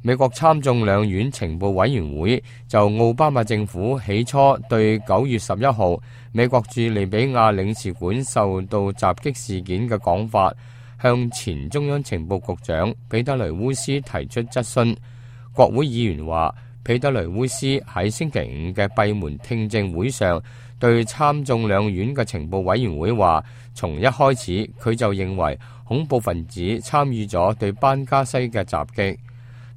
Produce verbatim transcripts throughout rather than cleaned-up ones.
美國參眾兩院情報委員會就奧巴馬政府起初對九月十一號美國駐利比亞領事館受到襲擊事件嘅講法，向前中央情報局長彼得雷烏斯提出質詢。國會議員話，彼得雷烏斯喺星期五嘅閉門聽證會上對參眾兩院嘅情報委員會話，從一開始佢就認為恐怖分子參與咗對班加西嘅襲擊。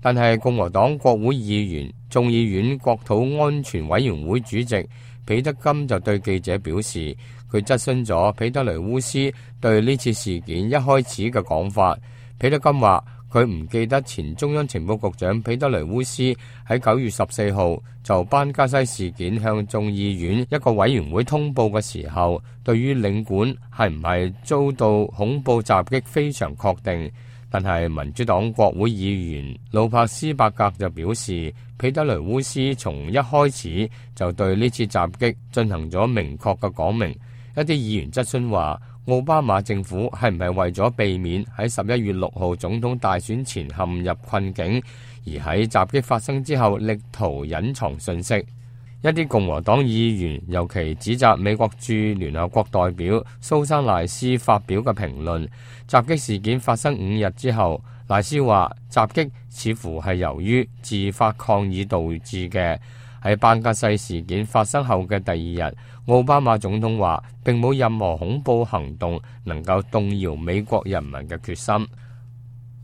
但係共和黨國會議員、眾議院國土安全委員會主席彼得金就對記者表示，佢質詢咗彼得雷烏斯對呢次事件一開始嘅講法。彼得金話，佢唔記得前中央情報局長彼得雷烏斯喺九月十四號就班加西事件向眾議院一個委員會通報嘅時候，對於領館係唔係遭到恐怖襲擊非常確定。但係民主黨國會議員魯柏斯伯格就表示，彼得雷烏斯從一開始就對呢次襲擊進行咗明確嘅講明。一啲議員質詢話，奧巴馬政府係唔係為咗避免喺十一月六號總統大選前陷入困境，而喺襲擊發生之後力圖隱藏信息？一啲共和黨議員尤其指責美國駐聯合國代表蘇珊賴斯發表嘅評論。襲擊事件發生五日之後，賴斯話襲擊似乎係由於自發抗議導致嘅。喺班加西事件發生後嘅第二日，奧巴馬總統話並冇任何恐怖行動能夠動搖美國人民嘅決心。